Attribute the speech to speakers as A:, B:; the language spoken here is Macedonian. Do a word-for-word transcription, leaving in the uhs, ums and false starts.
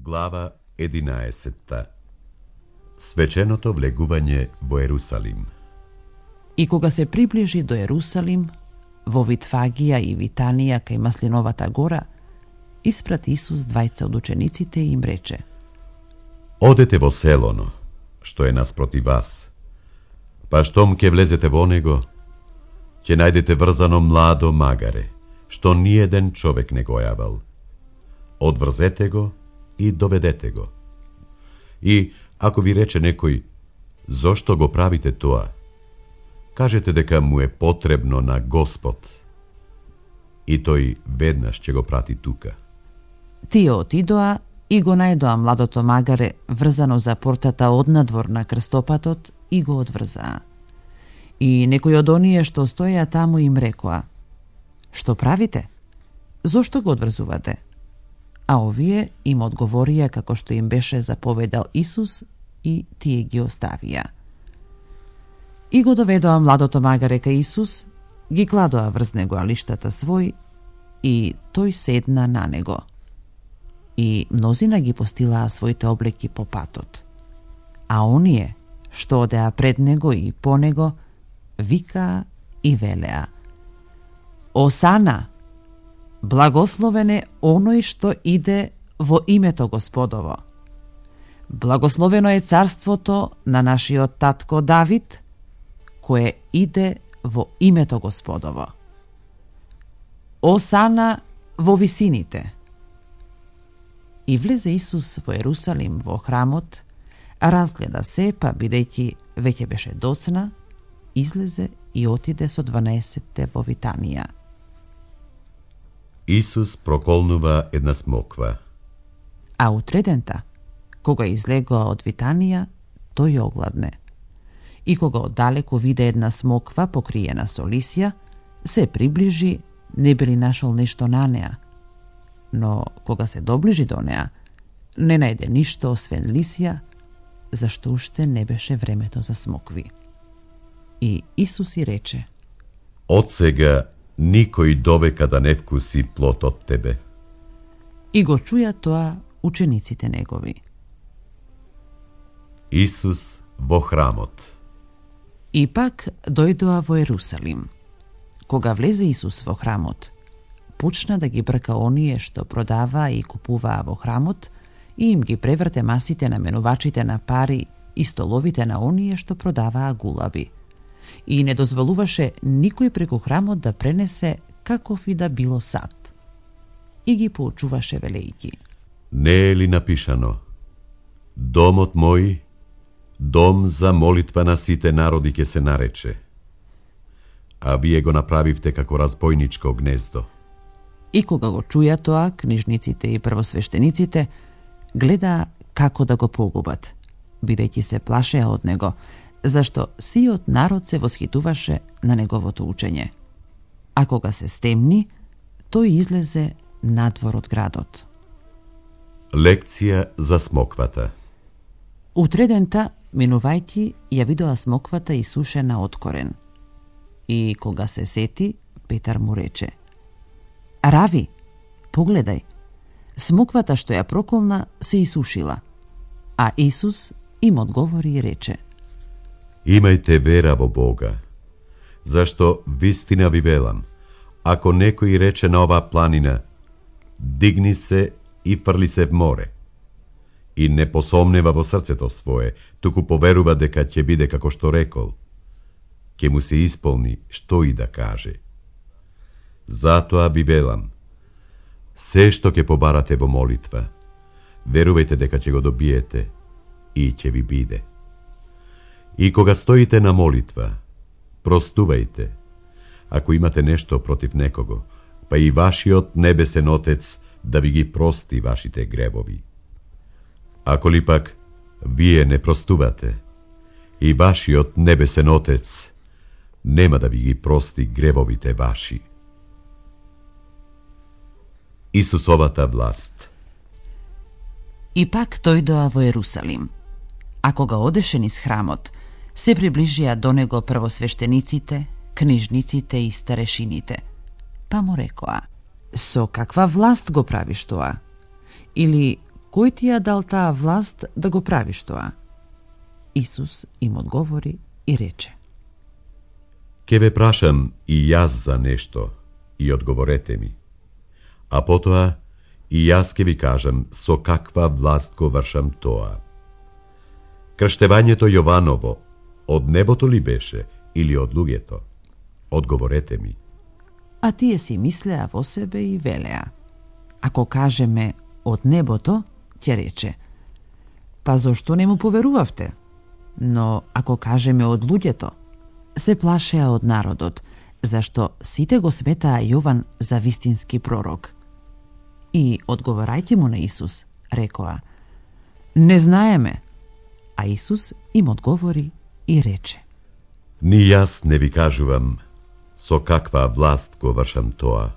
A: Глава единаесетта. Свеченото влегување во Ерусалим.
B: И кога се приближи до Ерусалим, во Витфагија и Витанија кај Маслиновата гора, испрати Исус двајца од учениците и им рече:
A: Одете во селоно, што е наспроти вас, па штом ке влезете во него, ќе најдете врзано младо магаре, што ниеден човек не го јавал. Одврзете го и доведете го. И ако ви рече некој: зошто го правите тоа? Кажете дека му е потребно на Господ, и тој веднаш ќе го прати тука.
B: Тие отидоа и го најдоа младото магаре врзано за портата однадвор на крстопатот и го одврзаа. И некој од оние што стоја таму им рекоа: Што правите? Зошто го одврзувате? А овие им одговорија како што им беше заповедал Исус и тие ги оставија. И го доведоа младото магаре кај Исус, ги кладоа врз него алиштата свој и тој седна на него. И мнозина ги постилаа своите облеки по патот. А оние што одеа пред него и по него, викаа и велеа: Осана! Благословен е оној што иде во името Господово. Благословено е царството на нашиот татко Давид, кое иде во името Господово. Осана во висините. И влезе Исус во Ерусалим во храмот, разгледа се, па бидејќи веќе беше доцна, излезе и отиде со дванаесетте во Витанија.
A: Исус проколнува една смоква.
B: А утредента, кога излегоа од Витанија, тој огладне. И кога оддалеку виде една смоква покриена со лисја, се приближи, не били нашол нешто на неа. Но кога се доближи до неа, не најде ништо освен лисја, зашто уште не беше времето за смокви. И Исус и рече:
A: Од сега никој довека да не вкуси плод од тебе.
B: И го чуја тоа учениците негови.
A: Исус во храмот.
B: И пак дојдоа во Ерусалим. Кога влезе Исус во храмот, почна да ги брка оние што продаваа и купуваа во храмот и им ги преврте масите на менувачите на пари и столовите на оние што продаваа гулаби. И не дозволуваше никој преку храмот да пренесе каков и да било сад. И ги поучуваше велејќи:
A: Не е ли напишано: Домот мој, дом за молитва на сите народи ќе се нарече, а вие го направивте како разбойничко гнездо.
B: И кога го чуја тоа, книжниците и првосвештениците гледаа како да го погубат, бидејќи се плашеа од него, зашто сиот народ се восхитуваше на неговото учење. А кога се стемни, тој излезе надвор од градот.
A: Лекција за смоквата.
B: Утредента, минувајќи, ја видоа смоквата исушена од корен. И кога се сети, Петар му рече: Рави, погледај, смоквата што ја проколна се исушила. А Исус им одговори и рече:
A: Имајте вера во Бога, зашто вистина ви велам, ако некој рече на оваа планина: дигни се и фрли се в море, и не посомнева во срцето свое, туку поверува дека ќе биде како што рекол, ќе му се исполни што и да каже. Затоа ви велам, се што ќе побарате во молитва, верувајте дека ќе го добиете и ќе ви биде. И кога стоите на молитва, простувајте, ако имате нешто против некого, па и вашиот небесен Отец да ви ги прости вашите гревови. Ако ли пак вие не простувате, и вашиот небесен Отец нема да ви ги прости гревовите ваши. Исусовата власт.
B: И пак дојдоа во Ерусалим. А кога одеше низ храмот, се приближија до него првосвештениците, книжниците и старешините. Па му рекоа: Со каква власт го правиш тоа? Или кој ти ја дал таа власт да го правиш тоа? Исус им одговори и рече:
A: Ке ве прашам и јас за нешто, и одговорете ми. А потоа и јас ке ви кажам со каква власт го вршам тоа. Крштевањето Јованово од небото ли беше или од луѓето? Одговорете ми.
B: А тие си мислеа во себе и велеа: ако кажеме од небото, ќе рече: па зошто не му поверувавте? Но ако кажеме од луѓето, се плашеа од народот, зашто сите го сметаа Јован за вистински пророк. И одговорајќи му на Исус, рекоа: не знаеме. А Исус им одговори и рече:
A: Ни јас не ви кажувам со каква власт го вршам тоа.